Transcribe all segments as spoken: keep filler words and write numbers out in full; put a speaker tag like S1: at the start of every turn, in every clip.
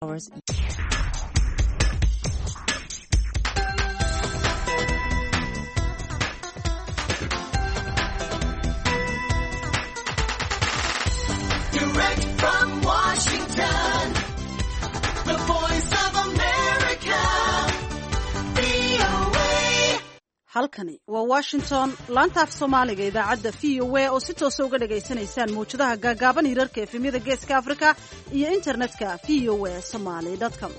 S1: Hours.
S2: Direct from Washington, the Voice of America, V O A.
S3: Halkani waa Washington, laanta af Soomaaliga, idaacadda V O A oo si toosa uga dhagaysanaysaan mawjadaha gaagaaban, hirarka efemyada Geeska Afrika iyo internetka V O A Somali com.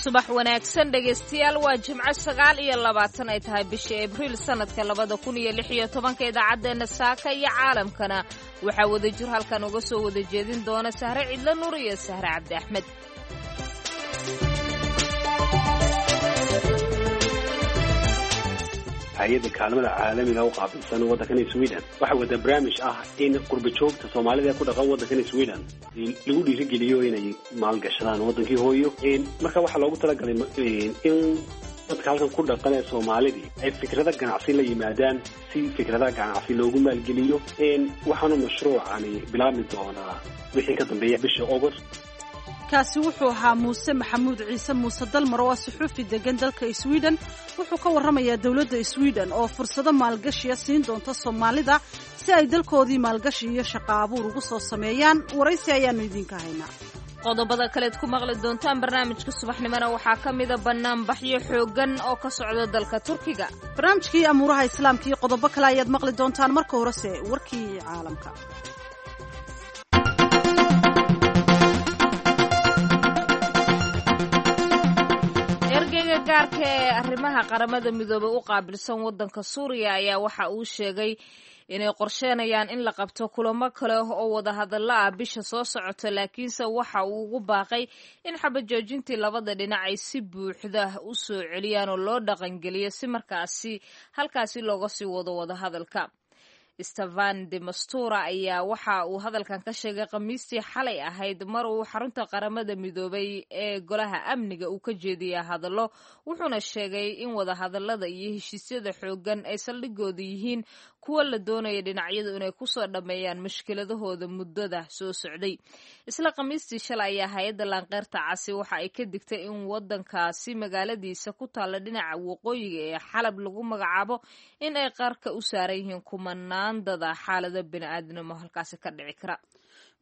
S4: Subax wanaagsan, dhegaystayaal. Waa Jimco, sagaal iyo labaatan ay tahay bisha Abriil, sanadka labada kun iyo lix iyo tobanka. Idaacaddeenna saaka iyo caalamkana waxaa wadajir halkan uga soo wada jeedin doona Sahre Cidlo Nuur iyo Sahre Cabdi Axmed.
S5: Hay-adda kaalmada caalamiga u qaabilsan waddankan Sweden waxaa wada barnaamij ah in qurba joogta Soomaalida ee ku dhaqan waddankan Sweden lagu dhiirigeliyo inay maalgashadaan waddankii hooyo. Marka waxaa loogu talagalay in dadka halkan ku dhaqan ee Soomaalidii ay fikrada ganacsi la yimaadaan si fikradaha ganacsi loogu maalgeliyo. Waxaanu mashruucani bilaabmi doonaa wixii ka dambeeya bisha August.
S3: Kaasi wuxuu ahaa Muuse Maxamuud Ciise, Muuse Dalmar, oo ah suxuufi degan dalka Sweden. Wuxuu ka warramayaa dowladda Sweden oo fursado maalgashiya siin doonta Soomaalida si ay dalkoodii maalgashi iyo shaqo abuur ugu soo sameeyaan. Waraysi ayaannu idinka haynaa.
S4: Qodobada kaleed ku maqli doontaan barnaamijka subaxnimona waxaa ka mida banaanbaxyo xooggan oo ka socda dalka Turkiga.
S3: Barnaamijkii amuuraha Islaamka iyo qodobo kale ayaad maqli doontaan. Marka horese warkii caalamka.
S4: Ergeyga gaarka ee arrimaha Qaramada Midoobay u qaabilsan waddanka Suuriya ayaa waxa uu sheegay inay qorsheenayaan in la qabto kulamo kale oo wadahadallo ah bisha soo socota, laakiinse waxa uu ugu baaqay in xabajoojintii labada dhinac ay si buuxda u soo celiyaan oo loo dhaqangeliyo si markaasi halkaasi looga sii wado wadahadalka. Stefan de Mastura ayaa waxa uu hadalkan ka sheegay Khamiistii xalay ahayd mar uu xarunta Qaramada Midoobay ee Golaha Amniga uu ka jeediyay hadallo, wuxuuna sheegay in wadahadallada iyo heshiisyada xooggan ay saldhigooda yihiin kuwa la doonaya dhinacyadu inay kusoo dhammeeyaan mushkiladahooda muddada soo socday. Isla Khamiistii shalay ayaa hay-adda Laanqeyrta Casi waxa ay ka digtay in wadankaasi magaaladiisa ku taalla dhinaca waqooyiga ee Xalab lagu magacaabo in ay qarka u saaran yihiin kumanaan dada xaalado bini'aadnimo halkaasi ka dhici kara.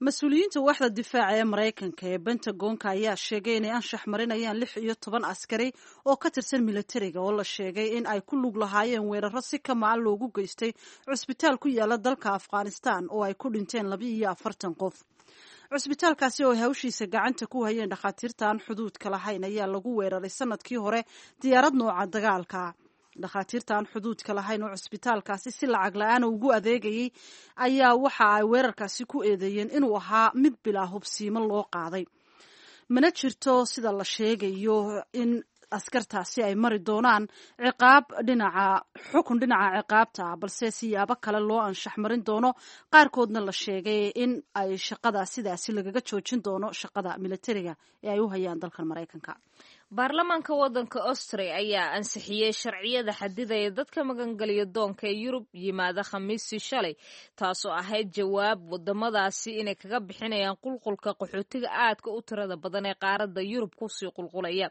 S3: Mas-uuliyiinta waaxda difaaca ee Maraykanka ee Bentagonka ayaa sheegay inay anshax marinayaan lix iyo toban askari oo ka tirsan militariga oo la sheegay in ay ku lug lahaayeen weeraro si kamaa loogu geystay cusbitaal ku yaala dalka Afghanistan oo ay ku dhinteen laba iyo afartan qof. Cusbitaalkaasi oo ay hawshiisa gacanta ku hayeen dhakhaatiirta aan xuduudka lahayn ayaa lagu weeraray sanadkii hore diyaarad nooca dagaalka. Dhakhaatiirta aan xuduudka lahayn oo cusbitaalkaasi si lacag la-aan ugu adeegayay ayaa waxa ay weerarkaasi ku eedeeyeen inuu ahaa mid bilaa hubsiimo loo qaaday. Mana jirto sida la sheegayo in askartaasi ay mari doonaan ciqaab dhinaca xukun dhinaca ciqaabta ah, balse siyaabo kale loo anshax marin doono, qaarkoodna la sheegay in ay shaqada sidaasi lagaga joojin doono shaqada militariga ee ay u hayaan dalkan Maraykanka.
S4: Baarlamaanka waddanka Austria ayaa ansixiyey sharciyada xadidaya dadka magangeliya doonka ee Yurub yimaada Khamiistii shalay, taasoo ahayd jawaab wadamadaasi inay kaga bixinayaan qulqulka qaxootiga aadka u tirada badan ee qaaradda Yurub kusii qulqulaya.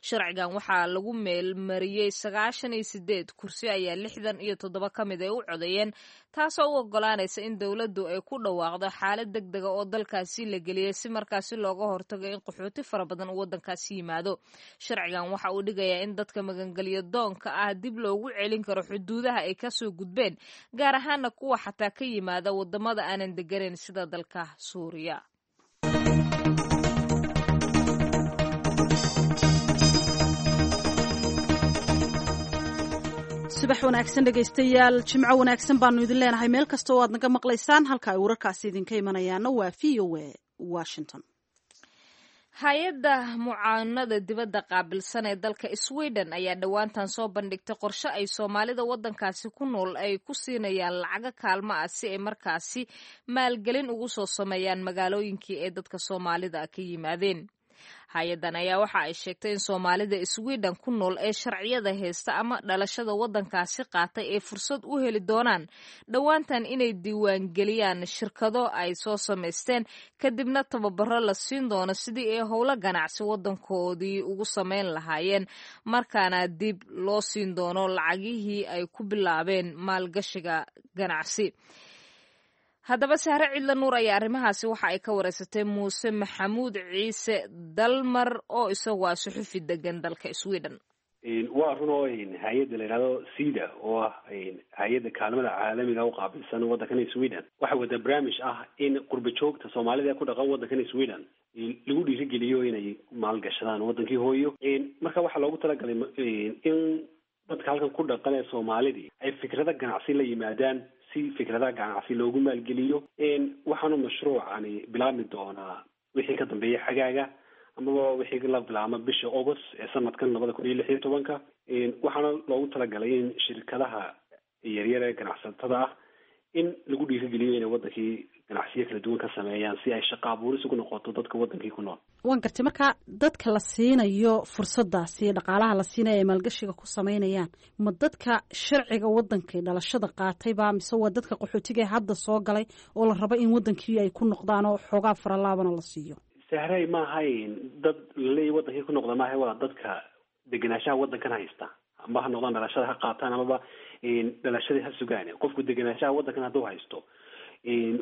S4: Sharcigan waxaa lagu meelmariyey sagaashan iyo sideed kursi ayaa lixdan iyo toddoba ka mid ay u codeeyeen, taasoo u ogolaanaysa in dowladdu ay ku dhawaaqdo xaalad deg dega oo dalkaasi la geliyey si markaasi looga hortago in qaxooti fara badan uu waddankaasi yimaado. Sharcigan waxa uu dhigayaa in dadka magangelyo doonka ah dib loogu celin karo xuduudaha ay kasoo gudbeen, gaar ahaana kuwa xataa ka yimaada wadamada aanan deganayn sida dalka Suuriya.
S3: Subax wanaagsan, dhegaystayaal. Jimco wanaagsan baanu idin leenahay meel kasta oo aad naga maqlaysaan. Halka ay wararkaasi idinka imanayaana waa V O A Washington.
S4: Hay-adda mucaanada dibadda qaabilsan ee dalka Sweden ayaa dhowaantan soo bandhigtay qorshe ay Soomaalida waddankaasi ku nool ay ku siinayaan lacago kaalmo ah si ay markaasi maalgelin ugu soo sameeyaan magaalooyinkii ay dadka Soomaalida ka yimaadeen. Hay-adan ayaa waxa ay sheegtay in Soomaalida Sweden ku nool ee sharciyada haysta ama dhalashada waddankaasi qaatay ay fursad u heli doonaan dhowaantan inay diiwaangeliyaan shirkado ay soo samaysteen, kadibna tababaro la siin doono sidii ay howlo ganacsi waddankoodii ugu samayn lahaayeen, markaana dib loo siin doono lacagihii ay ku bilaabeen maalgashiga ganacsi. Haddaba Sahre Cidla Nuur ayaa arrimahaasi waxa ay ka wareysatay Muuse Maxamuud Ciise Dalmar oo isagu ah suxufi degan dalka Sweden.
S5: Waa run oo hay-adda la yidhahdo SIDA, oo ah hay-adda kaalmada caalamiga u qaabilsan waddankan Sweden, waxay wada barnaamij ah in qurba joogta Soomaalida ee ku dhaqan waddankan Sweden lagu dhiirigeliyo inay maalgashadaan waddankii hooyo. Marka waxaa loogu talagalay in dadka halkan ku dhaqan ee Soomaalidii ay fikrada ganacsi la yimaadaan si fikradaha ganacsi loogu maalgeliyo. Waxaanu mashruucani bilaabmi doonaa wixii ka dambeeya xagaaga, amaba wixii la bilaabma bisha August ee sanadkan labada kun iyo lix iyo tobanka. Waxaana loogu talagalay in shirkadaha yaryar ee ganacsatada ah in lagu dhiirigeliyo inay wadankii ganacsiyo kala duwan ka sameeyaan, si ay shaqa abuuris ugu noqoto dadka wadankii ku nool.
S3: Waan gartay. Marka dadka la siinayo fursadaasi, dhaqaalaha la siinayo ay maalgashiga ku samaynayaan, ma dadka sharciga wadankay dhalashada qaatayba, mise waa dadka qaxootiga ee hadda soo galay oo la rabo in wadankii ay ku noqdaan oo xoogaa faralaabana la siiyo?
S5: Sahray, maahayn dad laleeyahy wadankii ku noqda maaha, waa dadka degenaanshaha wadankan haysta, amba ha noqdaan dhalashada ha qaataan amaba dhalashadii ha sugaan. Qofku degenaanshaha wadankan hadduu haysto,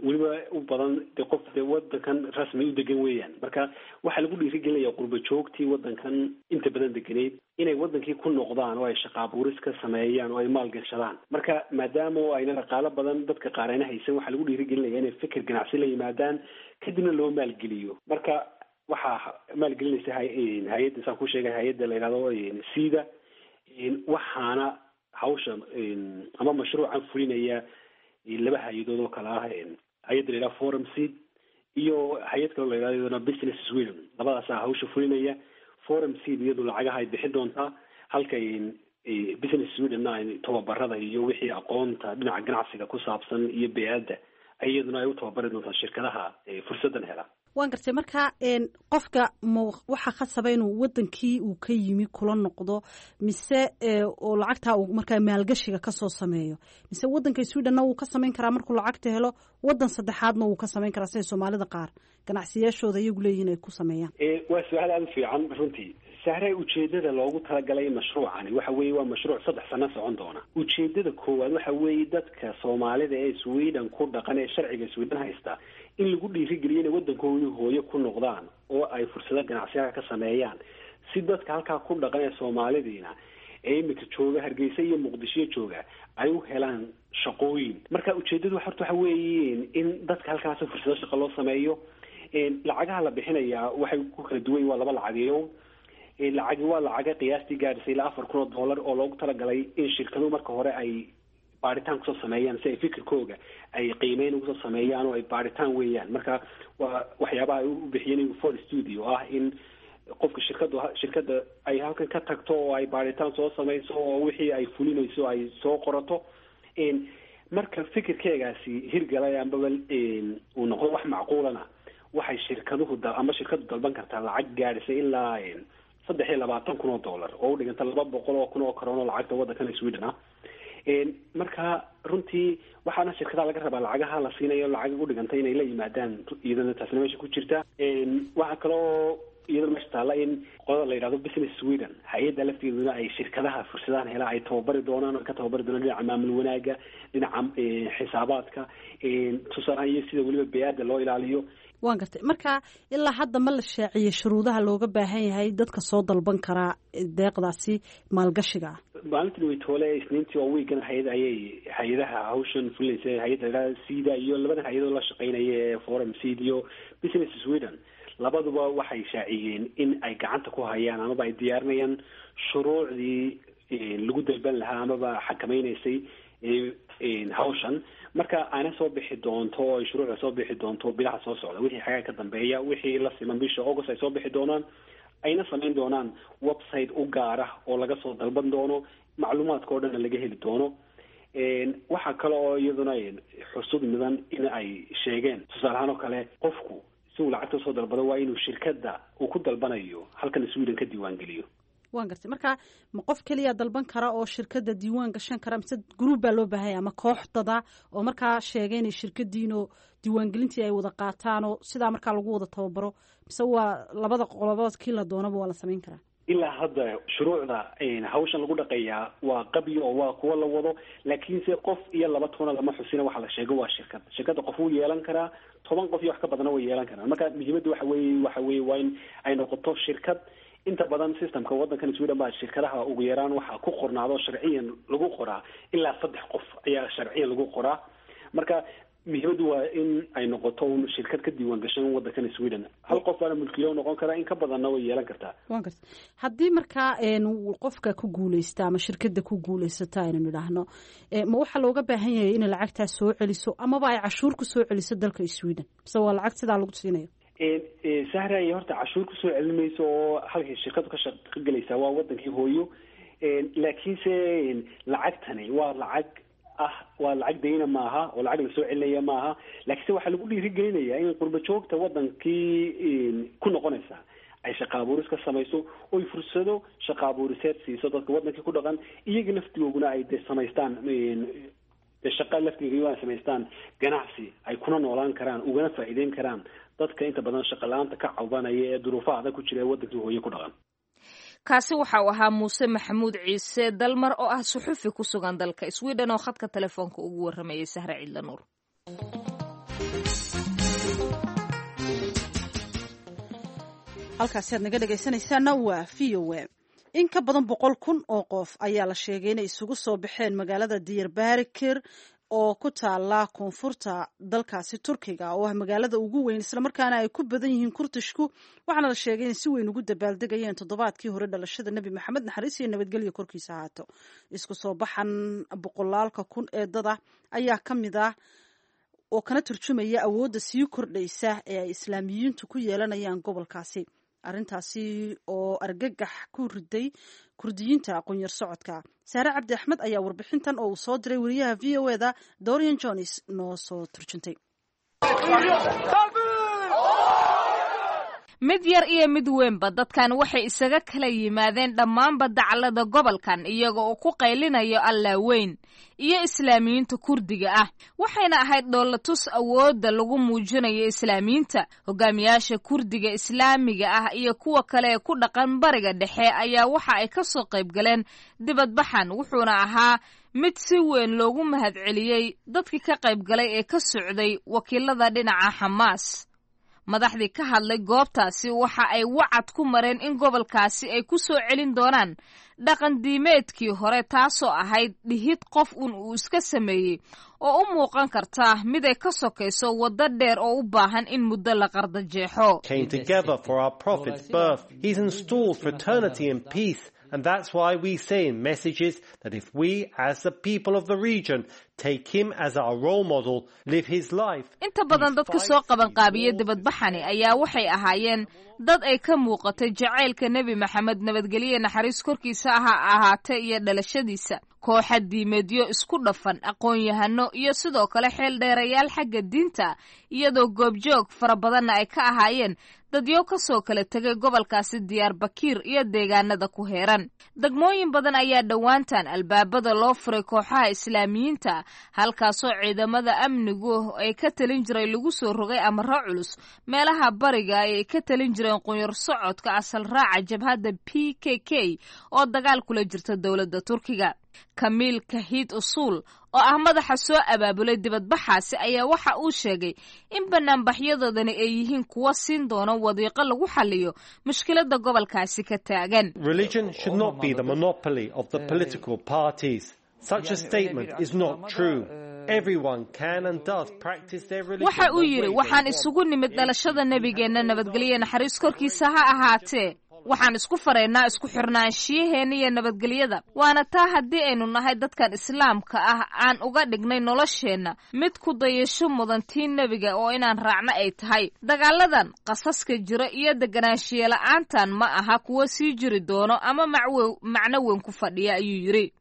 S5: weliba u badan de qof de wadankan rasmi u degan weeyaan. Marka waxaa lagu dhiirigelinaya qurba joogtii wadankan inta badan degeneyd inay wadankii ku noqdaan oo ay shaqa abuuris ka sameeyaan oo ay maalgashadaan. Marka maadaama oo ayna dhaqaalo badan dadka qaar ayna haysan, waxaa lagu dhiirigelinaya inay fikir ganacsi la yimaadaan, kadibna loo maalgeliyo. Marka waxaa maalgelinaysa hay-adda saan ku sheegay, hay-adda la yidhahdo SIDA, waxaana hawsha ama mashruucan fulinaya laba hay-adood oo kale ah: hay-adda la yidhaha Forum Seed iyo hay-ad kaloo la yidhahdo iyaduna Business Sweden. Labadaasaa hawsha fulinaya. Forum Seed iyadu lacagaha ay bixin doontaa, halka Business Swedenna ay tababarada iyo wixii aqoonta dhinaca ganacsiga ku saabsan iyo bey-adda iyaduna ay u tababari doontaa shirkadaha fursaddan hela.
S3: Waan gartay. Marka qofka ma waxaa khasaba inuu wadankii uu ka yimi kula noqdo, mise oo lacagtaa uu markaa maalgashiga kasoo sameeyo, mise wadanka Swedenna wuu ka samayn karaa markuu lacagta helo, wadan saddexaadna wuu ka samayn karaa, siday Soomaalida qaar ganacsiyaashooda iyagu leeyihiin ay ku sameeyaan?
S5: Waa su-aal aada u fiican runtii, Sahre. Ujeedada loogu talagalay mashruucani waxa weeye waa mashruuc saddex sano socon doona. Ujeedada koowaad waxa weeye dadka Soomaalida ee Sweden ku dhaqan ee sharciga Sweden haysta in lagu dhiirigeliyo inay waddankoodii hooyo ku noqdaan oo ay fursado ganacsiyaha ka sameeyaan, si dadka halkaa ku dhaqan ee Soomaalidiina ee imika jooga Hargeysa iyo Muqdisho jooga ay u helaan shaqooyin. Marka ujeedadu horta waxa weeyiin in dadka halkaasi fursado shaqo loo sameeyo. Lacagaha la bixinayaa waxay ku kala duwan yihin, waa laba lacageeyo. Lacagi waa lacaga qiyaastii gaadhisay ilaa afar kun oo dollar oo loogu talagalay in shirkaduhu marka hore ay baaritaan kusoo sameeyaan, si ay fikirkooga ay qiimeyn ugusoo sameeyaan oo ay baaritaan weeyaan. Marka waa waxyaabaha ay u bixiyeen for studio ah, in qofka shirkadu shirkadda ay halkan ka tagto oo ay baaritaan soo sameyso oo wixii ay fulinayso ay soo qorato. Marka fikirkeegaasi hirgalay ambaba uu noqdo wax macquulana, waxay shirkaduhu ama shirkadu dalban kartaa lacag gaadhisay ilaa saddex iyo labaatan kun oo dollar, oo u dhiganta laba boqol oo kun oo karoon oo lacagta waddankan Sweden ah. Marka runtii waxaana shirkadaha laga rabaa lacagaha la siinayo lacag u dhiganta inay la yimaadaan, iyadana taasna meesha ku jirta. Waxaa kaloo iyadana meesha taalla in qolada la yidhahdo Business Sweden, hay-adda lafteeduna, ay shirkadaha fursadahan hela ay tababari doonaan oo ka tababari doonaan dhinaca maamul wanaaga, dhinaca xisaabaadka tusaalahan, iyo sida weliba bey-aadda loo ilaaliyo.
S3: Waan gartay. Marka ilaa hadda ma la shaaciyey shuruudaha looga baahan yahay dadka soo dalban karaa deeqdaasi maalgashiga ah?
S5: Maalintii weytoole ee Isniintii oo wiigan hay-ad ayay hay-adaha hawshan fulinaysa, hay-adda la yidhahda SIDA iyo labadan hay-adoo la shaqeynaya ee Forum Seed iyo Business Sweden, labaduba waxay shaaciyeen in ay gacanta ku hayaan amaba ay diyaarinayaan shuruucdii lagu dalban lahaa amaba xakameynaysay hawshan. Marka aana soo bixi doonto oo ay shuruucda soo bixi doonto bilaha soo socda, wixii xagaa ka dambeeya, wixii la siman bisha August ay soo bixi doonaan, ayna samayn doonaan website u gaara oo laga soo dalban doono, macluumaadka oo dhanna laga heli doono. Waxaa kale oo iyaduna xusud mudan in ay sheegeen, tusaale ahaan oo kale, qofku Si uu lacagta usoo dalbado, waa inuu shirkadda uu ku dalbanayo halkan Sweden ka diiwaangeliyo.
S3: Waan gartay. Marka ma qof keliya dalban kara oo shirkadda diiwaan gashan kara, mise group baa loo baahanya ama koox dada oo markaa sheegay inay shirkadiinoo diiwaangelintii ay wada qaataan oo sidaa markaa lagu wada tababaro, mise waa labada qolobood kii la doonaba waa la samayn karaa?
S5: Ilaa hadda shuruucda hawshan lagu dhaqayaa waa qabyo oo waa kuwo la wado, laakiinse qof iyo laba toona lama xusina. Waxa la sheego waa shirkad. Shirkadda qof wuu yeelan karaa, toban qof iyo wax ka badana way yeelan karaan. Marka muhiimadda waxa weeye waxa weeye waa in ay noqoto shirkad. Inta badan systemka waddankan Sweden baa shirkadaha ugu yaraan waxaa ku qornaado, sharciyan lagu qoraa, ilaa saddex qof ayaa sharciyan lagu qoraa. Marka muhiimaddu waa in ay noqoto un shirkad ka diiwaan gashan waddankan Sweden. Hal qof baana mulkiilo noqon karaa, in ka badanna way yeelan kartaa.
S3: Waan garta. Haddii markaa qofka ku guuleysta ama shirkadda ku guuleysata aynu nidhaahno, ma waxaa looga baahan yahay inay lacagtaas soo celiso amaba ay cashuur ku soo celiso dalka Sweden, mise waa lacag sidaa lagu siinayo?
S5: Sahray, horta cashuur kusoo celin mayso, oo halkay shirkadu ka shaqo gelaysaa waa wadankii hooyo. Laakiinse lacagtani waa lacag ah, waa lacag dayna maaha oo lacag lasoo celinaya maaha, laakiinse waxaa lagu dhiirigelinayaa in qurba joogta wadankii ku noqonaysa ay shaqa abuuris ka samayso, oy fursado shaqa abuuriseed siiso dadka wadankii ku dhaqan, iyaga laftigooguna ay de samaystaan de shaqa laftigooguna samaystaan ganacsi ay kuna noolaan karaan, ugana faa'iideyn karaan dadka inta badan shaqa la-aanta ka cawbanaya ee duruufaha adag ku jira ee wadankii hooye ku dhaqan.
S4: Kaasi waxa uu ahaa Muuse Maxamuud Ciise Dalmar oo ah suxufi ku sugan dalka Sweden oo khadka telefoonka ugu warramayay Sahre Ciidla Nuur.
S3: Halkaasi aad naga dhegaysanaysaana waa V O A. In ka badan boqol kun oo qof ayaa la sheegay inay isugu soo baxeen magaalada Diyarbakir oo ku taala koonfurta dalkaasi Turkiga, oo ah magaalada ugu weyn islamarkaana ay ku badan yihiin Kurtishku. Waxaana la sheegay inay si weyn ugu dabaaldegayeen toddobaadkii hore dhalashada Nebi Maxamed, naxariis iyo nabadgelyo korkiisa ahaato. Isku soo baxan boqolaalka kun ee dada ayaa ka mid ah oo kana turjumaya awoodda sii kordhaysa ee ay Islaamiyiintu ku yeelanayaan gobolkaasi, arrintaasi oo argagax ku riday Kurdiyiinta aqoonyar socodka. Saare Cabdi Axmed ayaa warbixintan oo uu soo diray wariyaha V O A da Dorian Jones noo soo turjuntay.
S4: Mid yar iyo mid weynba, dadkan waxay isaga kala yimaadeen dhammaanba dacallada gobolkan, iyaga oo ku qaylinayo "Allaa weyn" iyo Islaamiyiinta Kurdiga ah. Waxayna ahayd dhoolatus awoodda lagu muujinayo Islaamiyiinta. Hogaamiyaasha Kurdiga Islaamiga ah iyo kuwa kale ee ku dhaqan Bariga Dhexe ayaa waxa ay ka soo qayb galeen dibadbaxan, wuxuuna ahaa mid si weyn loogu mahadceliyey dadkii ka qayb galay ee ka socday wakiilada dhinaca Xamaas. Madaxdii ka hadlay goobtaasi waxa ay wacad ku mareen in gobolkaasi ay ku soo celin doonaan dhaqan diimeedkii hore, taasoo ahayd dhihid qof un uu iska sameeyey oo u muuqan karta mid ay ka sokayso waddo dheer oo u baahan in muddo la qardajeexo.
S1: Came together for our Prophet's birth. He's installed fraternity and peace. And that's why we say in messages that if we, as the people of the region, take him as our role model, live his life.
S4: Inta badan dadka soo qabanqaabiya dibadbaxani ayaa waxay ahaayeen dad ay ka muuqatay jacaylka Nebi Maxamed, nabadgelye naxariis korkiisa ha ahaatee, iyo dhalashadiisa. Kooxa diimeedyo isku dhafan, aqoon-yahano iyo sidoo kale xeel dheerayaal xagga diinta, iyadoo goobjoog fara badanna ay ka ahaayeen dadyo ka soo kala tegay gobolkaasi Diyaarbakiir iyo deegaanada ku heeran. Degmooyin badan ayaa dhowaantan albaabada loo furay kooxaha Islaamiyiinta, halkaasoo ciidamada amnigu ay ka talin jiray lagu soo rogay amaro culus. Meelaha bariga ay ka talin jireen qunyar socodka asal raaca jabhadda P K K oo dagaal kula jirta dowladda Turkiga. Kamiil Kahiid Usuul oo ah madaxa soo abaabulay dibadbaxaasi ayaa waxa uu sheegay in banaanbaxyadoodani ay yihiin kuwo siin doono wadiiqo lagu xaliyo mushkiladda gobolkaasi ka taagan.
S1: Religion should not be the monopoly of the political parties. Such a statement is not true. Everyone can and does practice their religion.
S4: Waxa uu yidhi, "Waxaan isugu nimid dhalashada nebigeenna, nabadgelye naxariis korkiisa ha ahaatee. Waxaan isku faraynaa isku xirnaanshiyaheena iyo nabadgelyada. Waana taa haddii aynu nahay dadkan Islaamka ah aan uga dhignay nolosheenna mid ku dayasho mudan tii nebiga oo inaan raacno ay tahay. Dagaaladan qasaska jira iyo deganaanshiye la'aantan ma aha kuwo sii jiri doono ama macwe macno weyn ku fadhiya," ayuu yidhi.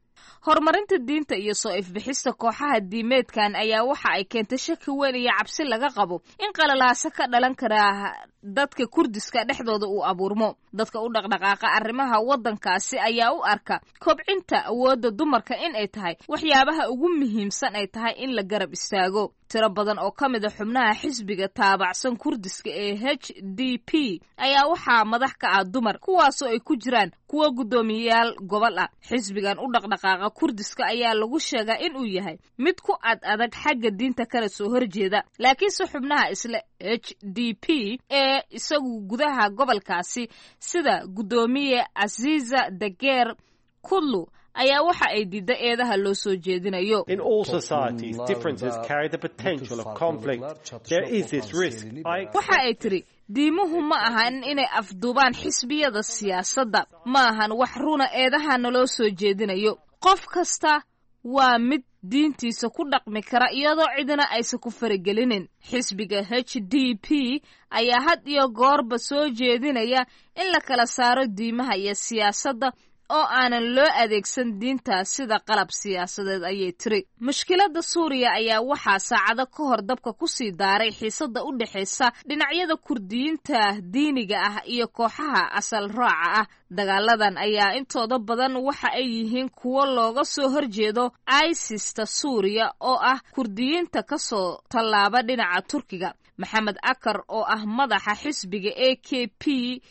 S4: Horumarinta diinta iyo soo ifbixista kooxaha diimeedkan ayaa waxa ay keentay shaki weyn iyo cabsi laga qabo in qalalaaso ka dhalan karaa dadka Kurdiska dhexdooda uu abuurmo. Dadka u dhaqdhaqaaqa arrimaha waddankaasi ayaa u arka kobcinta awoodda dumarka in ay tahay waxyaabaha ugu muhiimsan ay tahay in la garab istaago. Tiro badan oo ka mid a xubnaha xisbiga taabacsan Kurdiska ee H D P ayaa waxaa madax ka ah dumar, kuwaasoo ay ku jiraan kuwa guddoomiyeyaal gobol ah. Xisbigan u dhaqdhaqaaqa Kurdiska ayaa lagu sheegaa in uu yahay mid ku ad adag xagga diinta kana soo horjeeda, laakiinse xubnaha isla H D P ee isagu gudaha gobolkaasi sida guddoomiye Aziza Dageer Kudlu ayaa waxa ay diidda eedaha loo soo jeedinayo.
S1: In all societies, differences carry the potential of conflict. There is this risk. I
S4: Waxa ay tiri, diimuhu ma ahan inay afduubaan xisbiyada siyaasadda, ma ahan wax runa eedaha naloo soo jeedinayo. Qof kasta waa mid diintiisa ku dhaqmi kara iyadoo cidina aysan ku faragelinin. Xisbiga H D P ayaa had iyo goorba soo jeedinaya in la kala saaro diimaha iyo siyaasadda oo aanan loo adeegsan diinta sida qalab siyaasadeed, ayay tiri. Mushkiladda Suuriya ayaa waxaa saacado ka hor dabka kusii daaray xiisadda u dhexaysa dhinacyada Kurdiyiinta diiniga ah iyo kooxaha asal raaca ah. Dagaaladan ayaa intooda badan waxa ay yihiin kuwo looga soo horjeedo ISIS-ta Suuriya oo ah Kurdiyiinta ka soo tallaaba dhinaca Turkiga. Maxamed Akar oo ah madaxa xisbiga A K P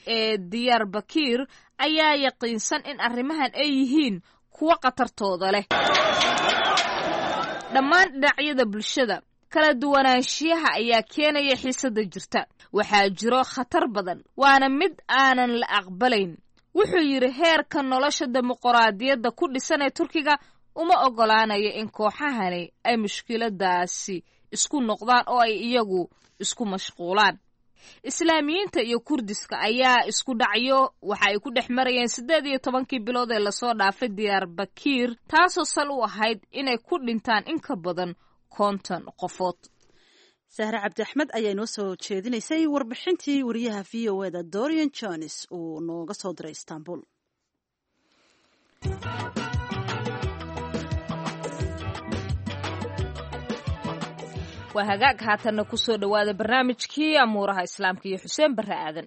S4: ee Diyaar Bakir ayaa yaqiinsan in arrimahan ay yihiin kuwo khatartooda leh. Dhammaan dhinacyada bulshada kala duwanaanshiyaha ayaa keenaya xiisadda jirta. Waxaa jiro khatar badan, waana mid aanan la aqbalayn, wuxuu yidhi. Heerka nolosha dimuqraadiyadda ku dhisan ee Turkiga uma oggolaanayo in kooxahani ay mushkiladaasi isku noqdaan oo ay iyagu isku mashquulaan. Islaamiyiinta iyo Kurdiska ayaa isku dhacyo waxa ay ku dhex marayeen siddeed iyo tobankii bilood ee lasoo dhaafay Diyaar Bakiir, taasoo sal u ahayd inay ku dhintaan in ka badan konton qofood.
S3: Sahre Cabdi Axmed ayaa inoo soo jeedinaysay warbixintii wariyaha V O E da Dorian Jones uu nooga soo diray Istanbul.
S4: Waa hagaag, haatanna kusoo dhowaada barnaamijkii amuuraha Islaamka iyo Xuseen Barre Aadan.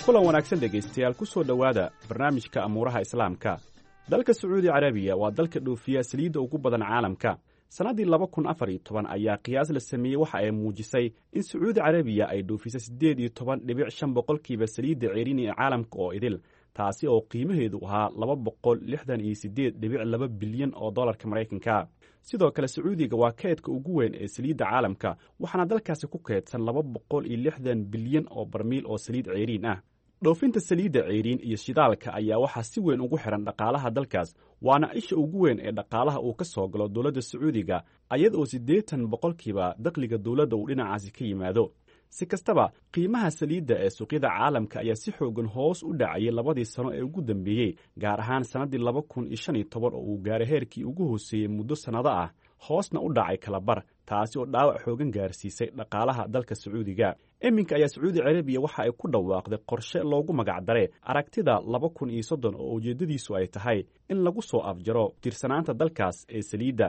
S6: Kulan wanaagsan dhegaystayaal, ku soo dhowaada barnaamijka amuuraha Islaamka. Dalka Sacuudi Carabiya waa dalka dhoofiya saliidda ugu badan caalamka. Sannaddii laba kun afar iyo toban ayaa qiyaas la sameeyey waxa ay muujisay in Sacuudi Carabiya ay dhoofisay siddeed iyo toban dhibic shan boqolkiiba saliidda ceerin ee caalamka oo idil, taasi oo qiimaheedu ahaa laba boqol lixdan iyo siddeed dhibic laba bilyan oo dollarka Maraykanka. Sidoo kale Sacuudiga waa keydka ugu weyn ee saliidda caalamka, waxaana dalkaasi ku keydsan laba boqol iyo lixdan bilyan oo barmiil oo saliid ceeriin ah. Dhoofinta saliidda ceeriin iyo shidaalka ayaa waxaa si weyn ugu xihan dhaqaalaha dalkaas, waana isha ugu weyn ee dhaqaalaha uu ka soo galo dowladda Sacuudiga, ayad oo siddeetan boqolkiiba dakhliga dowladda uu dhinacaasi ka yimaado. Si kastaba, qiimaha saliidda ee suuqyada caalamka ayaa si xoogan hoos u dhacayay labadii sano ee ugu dambeeyey, gaar ahaan sannaddii laba kun iyo shan iyo toban oo uu gaaray heerkii ugu hooseeyey muddo sannado ah, hoosna u dhacay kalabar, taasi oo dhaawac xoogan gaarsiisay dhaqaalaha dalka Sacuudiga. Iminka ayaa Sacuudi Carabiya waxa ay ku dhawaaqday qorshe loogu magacdaray Aragtida laba kun iyo soddon oo ujeeddadiisu ay tahay in lagu soo afjaro tiirsanaanta dalkaas ee saliidda.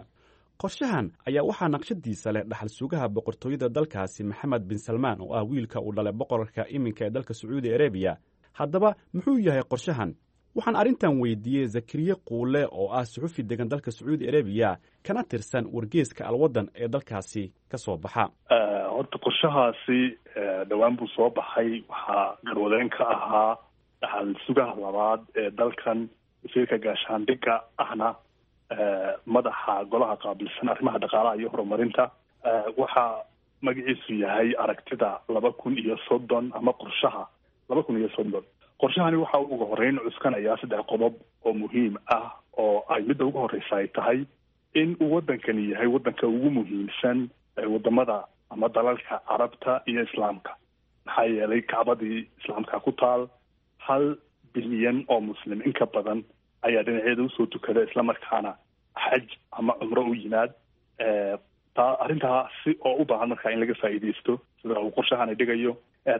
S6: Qorshahan ayaa waxaa naqshadiisa leh dhaxal sugaha boqortooyada dalkaasi Maxamed bin Salmaan, oo ah wiilka uu dhalay boqorka iminka ee dalka Sacuudi Arabiya. Haddaba muxuu yahay qorshahan? Waxaan arrintan weydiiyey Zakariye Quule oo ah suxufi degan dalka Sacuudi Arabiya kana tirsan wargeeska Alwaddan ee dalkaasi ka soo baxa.
S7: Horta qorshahaasi dhowaan buu soo baxay. Waxaa garwadeen ka ahaa dhaxal sugaha labaad ee dalkan, wasiirka gaashaandhigga ahna madaxa golaha qaabilsan arrimaha dhaqaalaha iyo horumarinta. Waxaa magaciisu yahay Aragtida laba kun iyo soddon ama Qorshaha laba kun iyo soddon. Qorshahani waxa uu uga horreyn cuskanayaa saddex qodob oo muhiim ah, oo ay midda ugu horreysa ay tahay in uu waddankani yahay waddanka ugu muhiimsan wadamada ama dalalka Carabta iyo Islaamka, maxaa yeelay Kacbadii Islaamka ku taal, hal bilyan oo Muslim in ka badan ayaa dhinaceeda usoo tukada, islamarkaana xaj ama cumro u yimaad. Taa arrintaasi oo u baahan markaa in laga faa'iidaysto sida uu qorshahani dhigayo.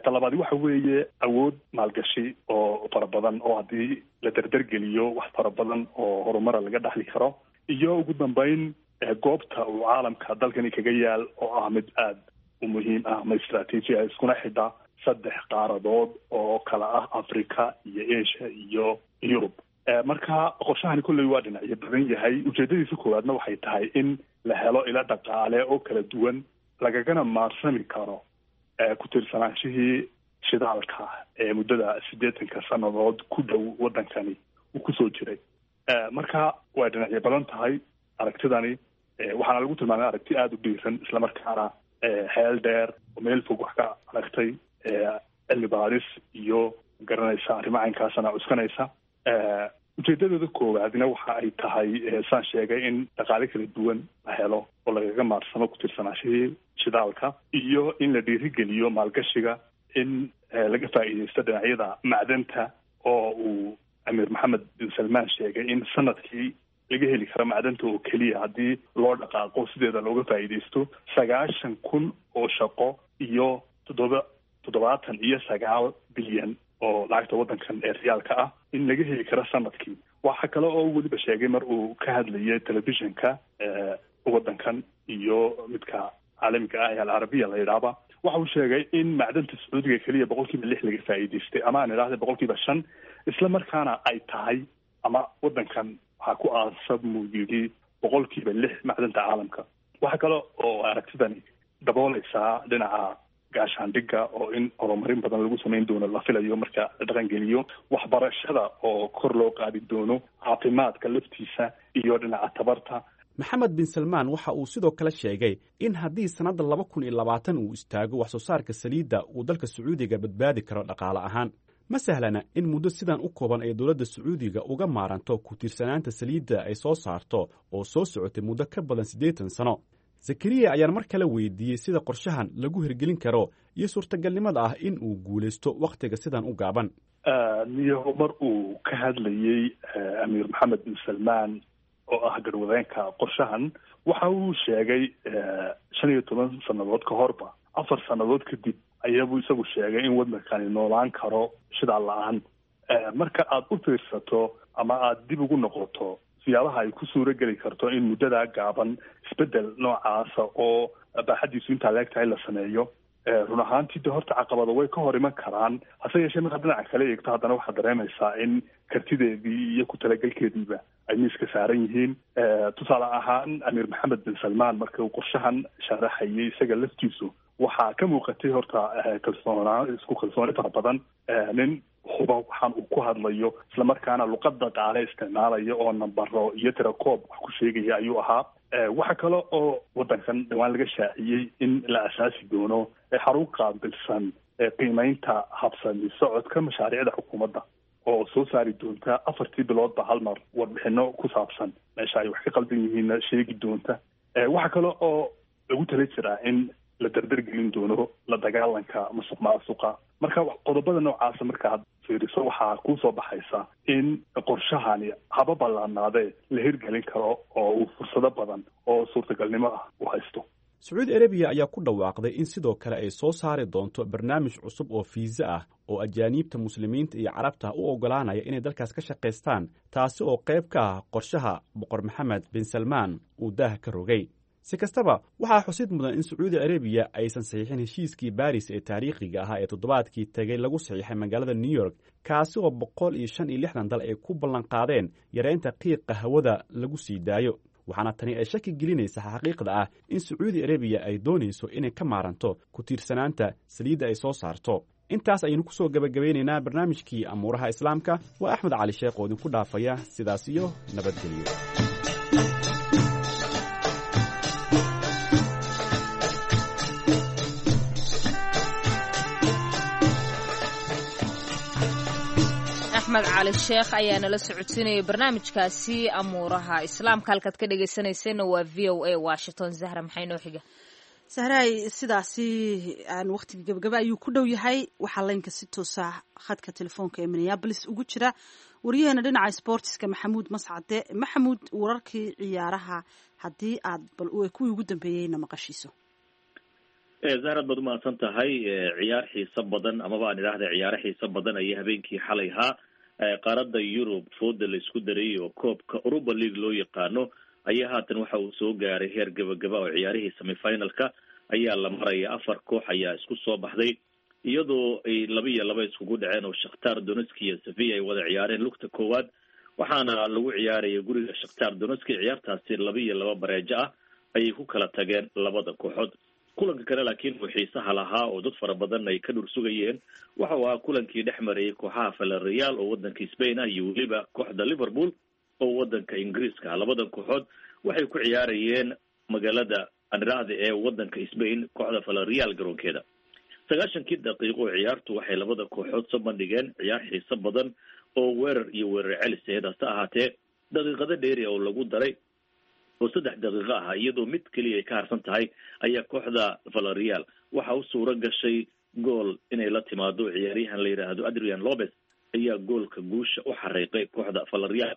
S7: Talabaadi waxa weeye awood maalgashi oo fara badan oo haddii la dardargeliyo wax fara badan oo horumara laga dhaxli karo, iyo ugu dambeyn goobta uu caalamka dalkani kaga yaal oo ah mid aada u muhiim ah ama istraatiiji ah, iskuna xidha saddex qaaradood oo kala ah Africa iyo Asia iyo Yurub. Marka qorshahani kolley waa dhinacyo badan yahay. Ujeedadiisa koowaadna waxay tahay in la helo ila dhaqaale oo kala duwan lagagana maarsami karo ku tiirsanaanshihii shidaalka ee muddada siddeetanka sannadood ku dhow waddankani uu kusoo jiray. Marka way dhinacyo badan tahay aragtidani, waxaana lagu tilmaamay aragti aada u dhiiran, islamarkaana xeel dheer oo meel fog wax ka aragtay, cilmi baadhis iyo garanaysa arrimo caynkaasana cuskanaysa. Ujeedadooda koowaadna waxa ay tahay, saan sheegay, in dhaqaale kala duwan la helo oo lagaga maarsamo ku tiirsanaanshihii shidaalka, iyo in la dhiirigeliyo maalgashiga, in laga faa'iidaysto dhinacyada macdanta oo uu Amiir Maxamed bin Salmaan sheegay in sanadkii laga heli karo macdanta oo keliya haddii loo dhaqaaqo sideeda looga faa'iidaysto sagaashan kun oo shaqo iyo toddoba toddobaatan iyo sagaal bilyan oo lacagta waddankan ee riyaalka ah in laga heli karo sanadkii. Waxa kale oo weliba sheegay mar uu ka hadlayay telefishinka waddankan iyo midka caalamiga ah ee Alcarabiya la yidhaahba, waxa uu sheegay in macdanta Sacuudiga keliya boqolkiiba lix laga faa'iidaystay, ama aan idhaahda boqolkiiba shan, isla markaana ay tahay ama waddankan waxaa ku aasab muu yidhi boqolkiiba lix macdanta caalamka. Waxa kale oo aragtidani dabooleysaa dhinaca gaashaandhigga oo in horumarin badan lagu samayn doono la filayo marka la dhaqangeliyo, waxbarashada oo kor loo qaadi doono, caafimaadka laftiisa iyo dhinaca tabarta.
S6: Maxamed bin Salmaan waxa uu sidoo kale sheegay in haddii sannadda laba kun iyo labaatan uu istaago wax soo saarka saliidda uu dalka Sacuudiga badbaadi karo dhaqaale ahaan. Ma sahlana in muddo sidan u kooban ay dowladda Sacuudiga uga maaranto ku tiirsanaanta saliidda ay soo saarto oo soo socotay muddo ka badan siddeetan sano. Zakariya ayaan mar kale weydiiyey sida qorshahan lagu hirgelin karo iyo suurtagalnimada ah in uu guulaysto wakhtiga sidan u gaaban.
S7: Niyo mar uu ka hadlayey Amiir Maxamed bin Salmaan oo ah garwadeenka qorshahan, waxa uu sheegay shan iyo toban sannadood ka horba, afar sannadood kadib ayaabuu isagu sheegay in waddankani noolaan karo shidaal la-aan. Marka aada u fiirsato ama aada dib ugu noqoto siyaabaha ay ku suuro geli karto in muddadaa gaaban isbeddel noocaasa oo baaxaddiisu intaa leeg tahay la sameeyo, run ahaantii de horta caqabado way ka hor iman karaan. Hase yeeshee markaad dhinaca kale eegto haddana waxaad dareemaysaa in kartideedii iyo ku talagelkeediiba ay miiska saaran yihiin. Tusaale ahaan Amiir Maxamed bin Salmaan marka uu qorshahan sharaxayay isaga laftiisu waxaa ka muuqatay horta kalsoonaa, isku kalsooni fara badan, nin huba waxaan uu ku hadlayo islamarkaana luqad dhaqaale isticmaalaya oo nambaro iyo tirakoob wax ku sheegaya ayuu ahaa. Waxa kale oo waddankan dhawaan laga shaaciyey in la asaasi doono xarun qaabilsan qiimeynta habsami socodka mashaariicda xukuumadda oo soo saari doonta afartii biloodba hal mar warbixino ku saabsan meesha ay wax ka qaldan yihiinna sheegi doonta. Waxa kale oo lagu tala jiraa in la dardargelin doono la dagaalanka musuq maasuqa. Marka qodobada noocaasa markaad fiiriso waxaa kuusoo baxaysa in qorshahani haba ballaanaadee la hirgelin karo oo uu fursado badan oo suurtagalnimo ah u haysto.
S6: Sacuudi Arabiya ayaa ku dhawaaqday in sidoo kale ay soo saari doonto barnaamij cusub oo fiisa ah oo ajaaniibta muslimiinta iyo carabta u oggolaanaya inay dalkaas ka shaqaystaan, taasi oo qayb ka ah qorshaha Boqor Maxamed bin Salmaan uu daaha ka rogay. Si kastaba, waxaa xusid mudan in Sacuudi Arabiya aysan saxiixin heshiiskii Baris ee taariikhiga ahaa ee toddobaadkii tegay lagu saxiixay magaalada New York, kaasi oo boqol iyo shan iyo lixdan dal ay ku ballanqaadeen yareynta qiiqa hawada lagu sii daayo. Waxaana tani ay shaki gelinaysaa xaqiiqda ah in Sacuudi Arabiya ay doonayso inay ka maaranto ku tiirsanaanta saliidda ay soo saarto. Intaas ayaynu ku soo gebagabaynaynaa barnaamijkii amuuraha Islaamka. Waa Axmed Cali Sheekh oo idinku dhaafaya sidaas iyo nabadgelyo.
S4: Axmed Cali Sheekh ayaa nala socodsiinayay barnaamijkaasi amuuraha Islaamka. Halkaad ka dhegaysanayseena waa V O A Washington. Zahra, maxay noo xiga?
S3: Sahraay, sidaasi aan waqtiga gabagaba ayuu ku dhow yahay. Waxaa laynka si toosa khadka telefoonka ee Minneapolis ugu jira waryaheena dhinaca sportiska, Maxamuud Mascade. Maxamuud, wararkii ciyaaraha haddii aad bal kuwii ugu dambeeyeyna maqashiiso.
S8: Zahrad, baad umahadsan tahay. Ciyaar xiiso badan, amaba aan idhaahda ciyaaro xiiso badan ayay habeenkii xalay ahaa qaaradda Yurub fooda la isku daray, oo koobka Europa League loo yaqaano ayaa haatan waxa uu soo gaaray heer gabagaba, oo ciyaarihii semifinalka ayaa la maraya. Afar koox ayaa isku soo baxday, iyadoo ay laba iyo laba iskugu dhaceen, oo Shakhtar Donetsk iyo Sevilla ay wada ciyaareen lugta koowaad, waxaana lagu ciyaaraya guriga Shakhtar Donetsk. Ciyaartaasi laba iyo laba bareejo ah ayay ku kala tageen labada kooxood. Kulanka kale laakiin uu xiisaha lahaa oo dad fara badan ay ka dhur sugayeen waxa uu ahaa kulankii dhex marayay kooxaha Villarreal oo wadanka Spain ah iyo weliba kooxda Liverpool oo wadanka Ingiriiska ah. Labada kooxood waxay ku ciyaarayeen magaalada aniraahda ee wadanka Spain, kooxda Villarreal garoonkeeda. Sagaashankii daqiiqo ciyaartu waxay labada kooxood soo bandhigeen ciyaar xiiso badan oo weerar iyo weerar celis aheyd. Hase ahaatee, daqiiqado dheeri oo lagu daray oo saddex daqiiqo ah, iyadoo mid keliya ay ka harsan tahay, ayaa kooxda Villarreal waxa u suuro gashay gool inay la timaado. Ciyaaryahan la yidhaahdo Adrian Lopez ayaa goolka guusha u xariiqay kooxda Villarreal.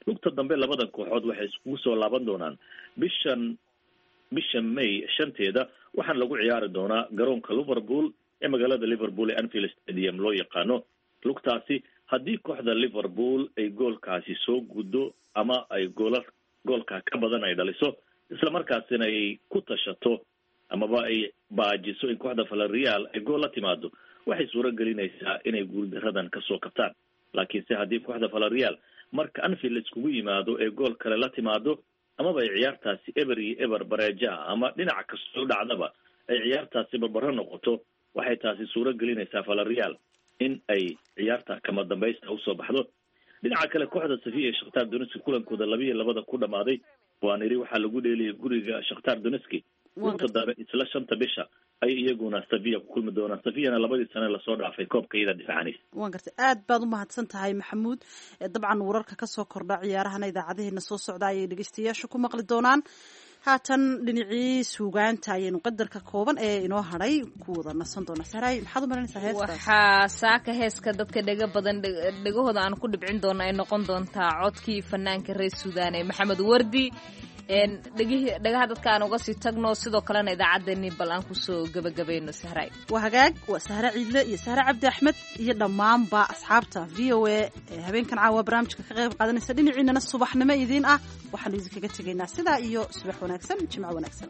S8: Lugta dambe labadan kooxood waxay iskugu soo laaban doonaan bishan bisha May shanteeda, waxaana lagu ciyaari doonaa garoonka Liverpool ee magaalada Liverpool ee Anfield Stadium loo yaqaano. Lugtaasi haddii kooxda Liverpool ay goolkaasi soo guddo ama ay goola goolka ka badan ay dhaliso, islamarkaasina ay ku tashato amaba ay baajiso in kooxda Villarreal ay gool la timaado, waxay suuro gelinaysaa inay guuldaradan kasoo kabtaan. Laakiinse haddii kooxda Villarreal marka Anfield iskugu yimaado ee gool kale la timaado, amaba ay ciyaartaasi eber iyo eber bareeja ah ama dhinaca kastoo dhacdaba ay ciyaartaasi barbaro noqoto, waxay taasi suuro gelinaysaa Villarreal in ay ciyaarta kama dambaysta usoo baxdo. Dhinaca kale, kooxda Sevilla ee Shakhtar Donetsk kulankooda laba iyo labada ku dhamaaday, waan iri, waxaa lagu dheeliyay guriga Shakhtar Donetsk. Lugta dambe isla shanta bisha ay iyaguna Sevilla ku kulmi doonaan. Sevillana labadii sane lasoo dhaafay koobka iyada difaacanaysa.
S3: Waan gartay, aad baad u mahadsan tahay, Maxamuud. Dabcan wararka kasoo kordha ciyaarahana idaacadaheena soo socda ayay dhegeystayaashu ku maqli doonaan. Haatan dhinacii suugaanta ayaynu qadarka kooban ee inoo hadhay ku wada nasan doonaa. Sahraay, maxaad u marinaysaa heestaas?
S4: Waxaa saaka heeska dadka dhega badan dhegahooda aan ku dhibcin doona ay noqon doontaa codkii fanaanka reer Suudaan ee Maxamed Wardi. Dhagaha dadka aan uga sii tagno, sidoo kalena idaacaddeenii bal aan kusoo gebagabayno, Sahraay.
S3: Waa hagaag, waa Sahre Ciidle iyo Sahre Cabdi Axmed iyo dhammaanba asxaabta V O A ee habeenkan caawa barnaamijka ka qayb qaadanaysa. Dhinaciinana subaxnimo idiin ah, waxaanu idinkaga tegaynaa sidaa iyo subax wanaagsan, jimco wanaagsan.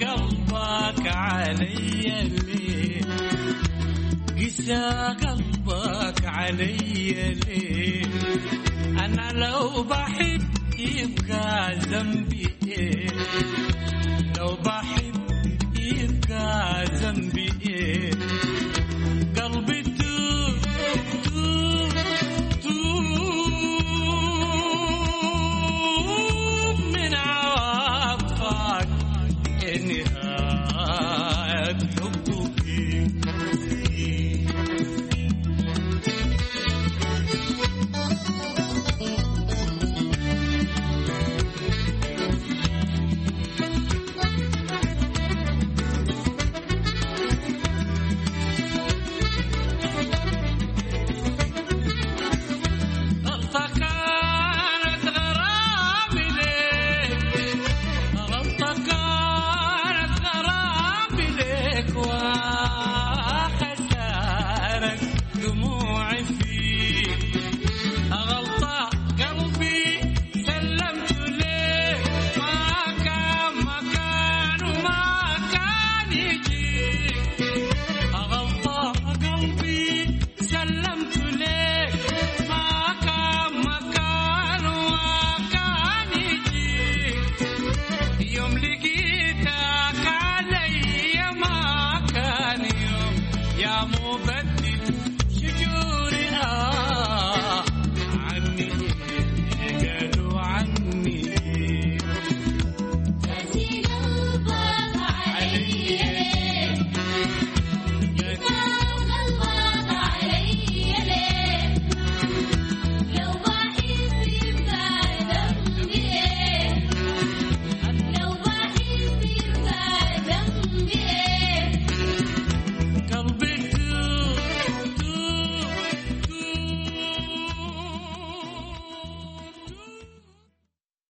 S9: قلبك علي ليه؟ قسى قلبك علي ليه؟ أنا لو بحب يبقى ذنبي